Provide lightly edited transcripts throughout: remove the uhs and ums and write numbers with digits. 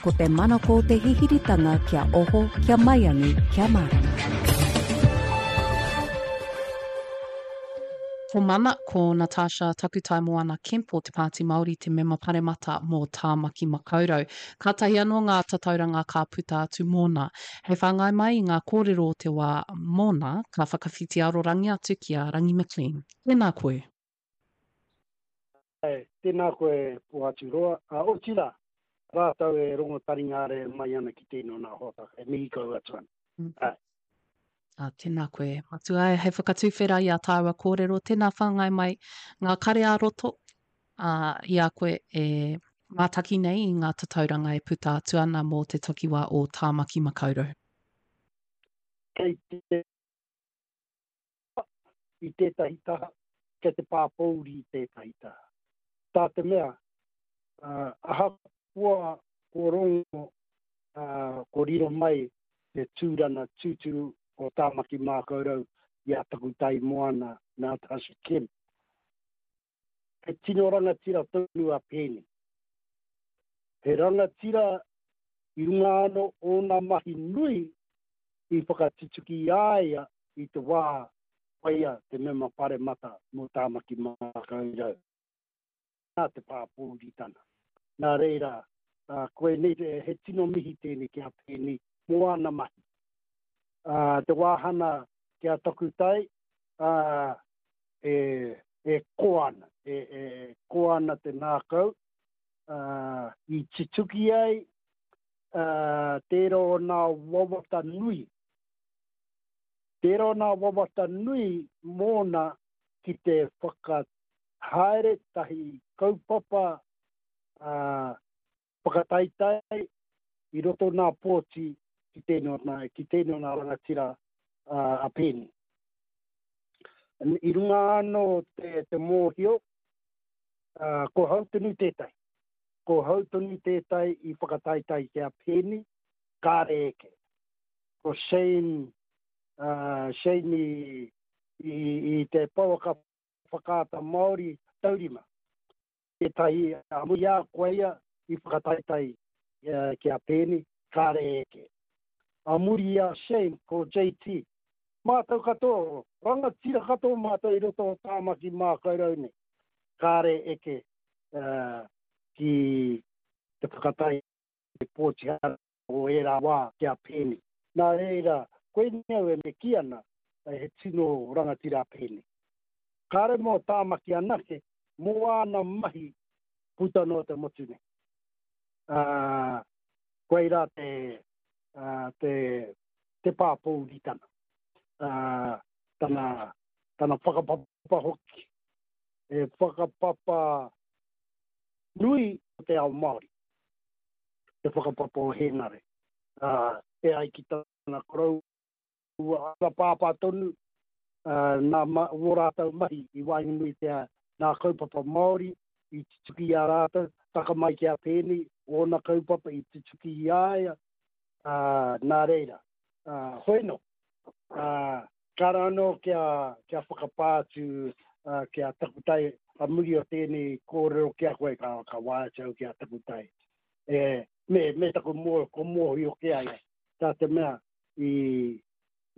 Ko te manako o te hihiritanga kia oho, kia maiangi, kia mārama. Ko Mana, ko Natasha Takutaimoana Kemp o Te Pāti Māori te mema paremata mō Tāmaki Makaurau. Kātahi anō ngā tatauranga ka puta atu mōna. Hei whāngai mai i ngā kōrero o te wā mōna, ka whakawhiti arorangi atu ki a Rangi McLean. Tēnā koe. Āe, tēnā koe Pohaturoa, ā, otirā, rātou e rongo taringa are mai ana ki tēnei o nā hōtaka, e mihi kau atu ana. Āe. Ā, tēnā koe, Matua, hei whakatuwhera i ā tāua kōrero, tēnā whāngai mai ngā kare ā-roto, ā, i a koe e mātaki nei i ngā tatauranga e puta atu ana mō te takiwā o Tāmaki Makaurau. Kei te i tētahi taha, kei te pāpōuri i tētahi taha. Tā te mea, ahakoa ko rongo, ko riro mai te tūrana tūturu o Tāmaki Mākaurau i a Takutai Moana Natasha Kemp, he tino rangatira tonu a Peeni. He rangatira i runga anō ōna mahi nui i whakatutuki i a ia i te wā koia te mema paremata mō Tāmaki Makaurau. Nā te pāpōuritana. Nā reira, koinei, he tino mihi tēnei ki a Peeni mō āna mahi. Te wāhana ki a Takutai, e, e koa ana, e, e koa ana te ngākau, i tutuki ai tērā o nā wawata nui, tērā o nā wawata nui mōna ki te whakahaere tahi kaupapa whakataetae i roto nā pōti ki tēnei o nā, ki tēnei o nā rangatira a Peeni. I runga anō te, te mōhio, ko hau tonu tētahi. Ko hau tonu tētahi i whakataetae ki a Peeni, kāre eke. Ko Shane, Shane i, i, i te pouaka whakaata Māori taurima. Tētahi a muri a koe ia i whakataetae ki a Peeni, kāre eke. A muri i a Shane, ko JT. Mātou katoa, rangatira katoa mātou i roto o Tāmaki Mākaurau nei. Kāre eke ki te whakataetae pōti o ērā wā ki a Peeni. Nā reira, koinei au e me kī ana, he tino rangatira a Peeni. Kāre mō Tāmaki anake, mō āna mahi puta noa te motu nei. Ā, koirā te, ā, te, te pāpōuritanga. Ā, tana, tana whakapapa hoki. He whakapapa nui o te ao Māori, te whakapapa o Hēnare. Ā, e ai ki tana koroua, Ua pāpā tonu nā wō rātou mahi i waenganui i te nā kaupapa Māori i tutuki i a rātou, taka mai ki a Peeni, ōna kaupapa i tutuki i a ia, ā, nā reira, ā, hoi nō, ā, kāre anō kia, kia whakapā atu ki a Takutai a muri o tēnei kōrero ki a koe, ka, ka waea atu au ki a Takutai. E, me, me taku mō, ko mōhio ki a ia, tā te mea, i,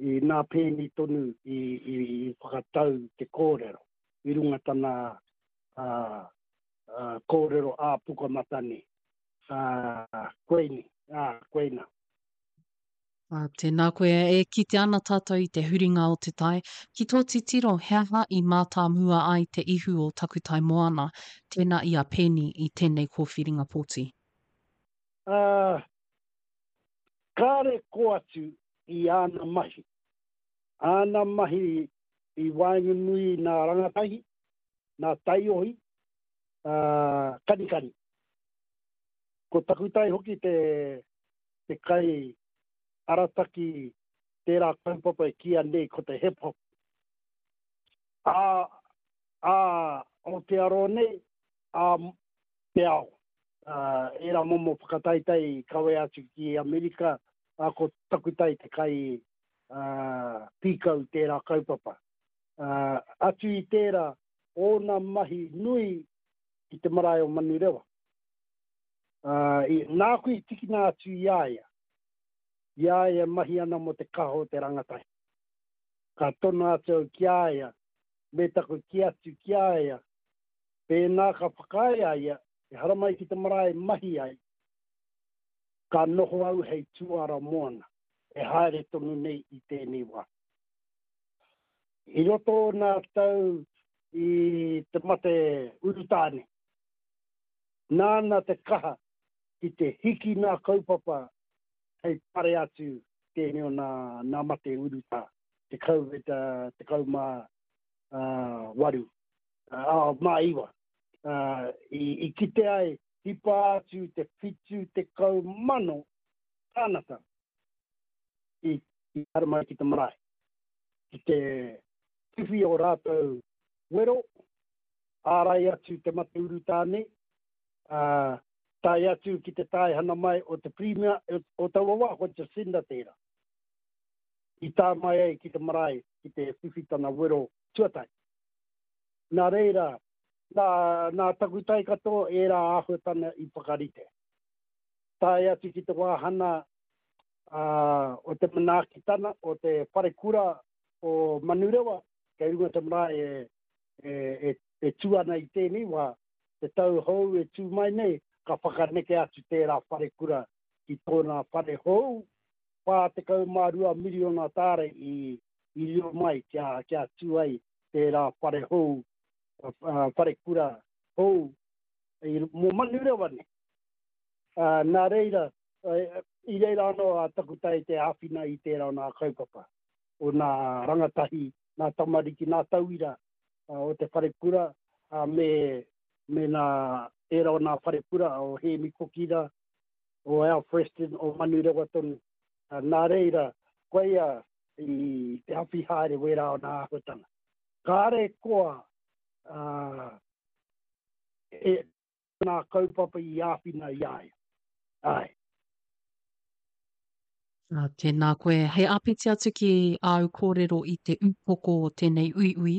i nā Peeni tonu i, i, i whakatau te kōrero i runga tana ā, ā, kōrero ā-pukamata nei. Ā, koini, ā, koina. Ā, tēnā koe, e kite ana tātou i te huringa o te tai. Ki tō titiro, he aha i mātāmua ai te ihu o Takutai Moana, tēnā i a Peeni i tēnei kōwhiringa pōti? Ā, Kāre kō atu i āna mahi. Āna mahi i waenganui i nā rangatahi, nā taiohi, ā, kanikani. Ko Takutai hoki te, te kai arataki tērā kaupapa e kīia nei ko te hip hop. Ā, ā, Aotearoa nei, ā, te ao. Ērā momo whakataetae i kawea atu ki Amerika, ā, ko Takutai te kai pīkau tērā kaupapa. Atu i tērā, ōna mahi nui i te marae o Manurewa. Ā, i, nāku i tikina atu i a ia, i a ia e mahi ana mō te kaha o te rangatahi. Ka tono atu au ki a ia, me taku kī atu ki a ia, pēnā ka whakaae a ia, e haramai ki te marae mahi ai, ka noho au hei tuara moana, e haere tonu nei i tēnei wā. I roto o nā tau i te mate urutā nei, nāna te kaha ki te hiki nā kaupapa hei pare atu tēnei o nā, nā mate urutā, te COVID 18, mā iwa. I, i kite ai, hipa atu te 70,000 tānata i, i haramai ki te marae, ki te whiwhi o rātou wero, ārai atu te mate urutā nei, ā, tae atu ki te taehana mai o te Pirimia o taua wā, ko Jacinda tērā, i tā mai ai ki te marae ki te whiwhi tana wero tuatahi. Nā reira, nā, nā taku tae katoa ērā āhuatana i whakarite. Tae atu ki te wāhana ā, o te manaakitana o te wharekura o Manurewa, kei runga te marae e, e, e, e tū ana i tēnei wā, te tau hou e tū mai nei, ka whakaneke atu tērā wharekura ki tōna whare hou, 42 miriona tāra i, i riro mai kia, kia tū ai tērā whare hou, wharekura hou i, mō Manurewa nei. Uh, nā reira, i reira anō a Takutai te āwhina i tērā o nā kaupapa, o nā rangatahi, nā tamariki, nā tauira o te wharekura, me, me nā ērā o nā wharekura o Hēmi Kokira, o Alfreston, o Manurewa tonu. Nā reira, koia i te awhi haere wērā o nā āhuatanga. Kāre koa uh, e, nā kaupapa i āwhina i a ia. Āe. Ā, tēnā koe. Hei āpiti atu ki āu kōrero i te upoko o tēnei uiui,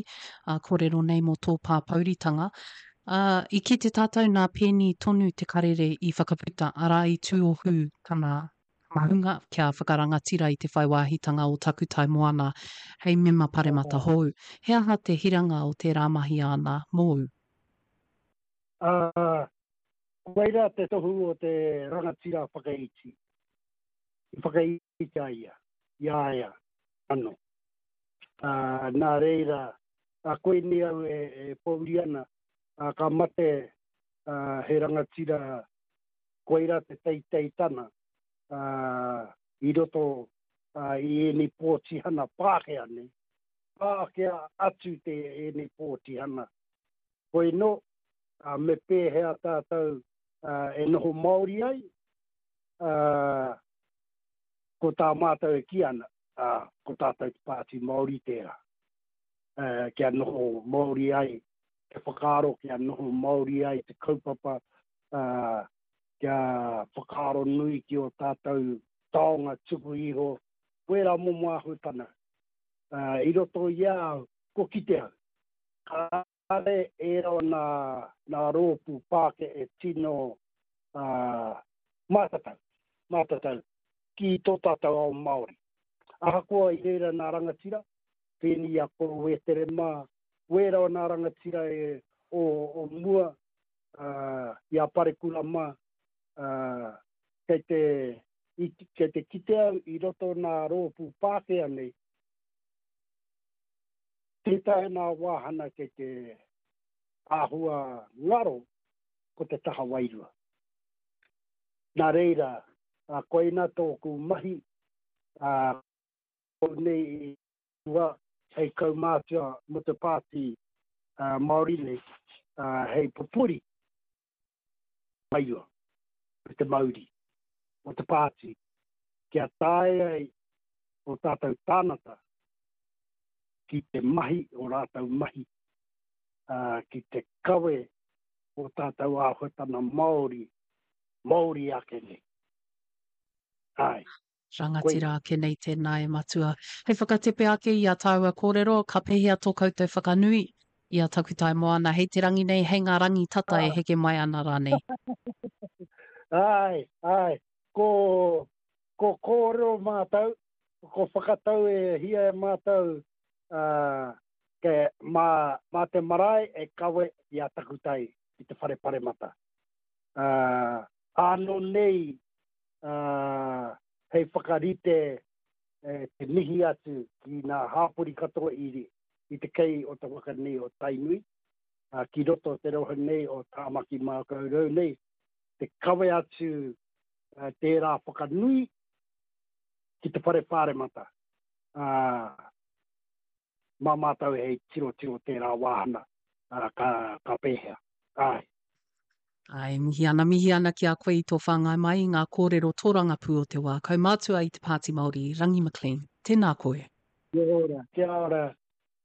ā, kōrero nei mō tō pāpouritanga. Ā, i kite tātou nā Peeni tonu te karere i whakaputa, arā, i tuohu tana mahunga kia whakarangatira i te whai wāhitanga o Takutai Moana hei mema paremata hou. He aha te hiranga o tērā mahi āna mōu? Ā, koirā te tohu o te rangatira whakaiti. I whakaiti a ia, i a ia anō. Ā, nā reira, ā, koinei au e, e pōuri ana, ā, ka mate ā, he rangatira, koirā te teiteitana, ā, i roto ā, i ēnei pōtihana Pākehā nei, Pākehā atu te ēnei pōtihana Hoi nō, me pēhea tātou e noho Māori ai, ko tā mātou e kī ana, ko tātou te Pāti Māori tērā. Kia noho Māori ai te whakaaro, kia noho Māori ai te kaupapa, kia whakaaro nui ki ō tātou taonga tuku iho, wērā momo āhuatanga. I roto i a au, kua kite au, Kāre ērā o nā, nā rōpū Pākehā e tino mātatau, mātatau ki tō tātou ao Māori. Ahakoa i reira nā rangatira, pēnei i a Koro Wētere mā, wērā o nā rangatira e, o, o mua, i a Parekura mā, kei te, i, kei te kite au i roto nā rōpū Pākehā nei, Tētahi nā wāhana kei te āhua ngaro ko te taha wairua. Nā reira, koina tōku mahi, ko nei i tua hei kaumātua mō te Pāti Māori nei, hei pupuri wairua me te mauri o te pāti kia taea ai ō tātou tānata ki te mahi o rātou mahi, ā, ki te kawe o tātou āhuatana Māori, Māori ake nei. Āe. Rangatira ake nei tēnā e Matua. Hei whakatepe ake i a tāua kōrero, ka pēhea tō koutou whakanui i a Takutai Moana hei te rangi nei, hei ngā rangi tata e heke mai ana rānei? Āe, āe. Ko, ko kōrero mātou, ko whakatau e hia e mātou, ā, ke, mā, mā te marae e kawe i a Takutai ki te whare paremata. Ā, ānō nei, ā, hei whakarite e te mihi atu ki ngā hāpori katoa i, i te kei o te waka nei o Tainui, ā, ki roto o te rohe nei o Tāmaki Mākaurau nei, te kawe atu tērā whakanui ki te whare pāremata, ā, mā mātou hei tirotiro tērā wāhanga, ā, ka, ka pēhea. Āe. Āe, mihi ana, mihi ana ki a koe i tō whāngai mai i ngā kōrero tōrangapū o te wā. Kaumātua i te Pāti Māori, Rangi McLean. Tēnā koe. Kia ora. Kia ora.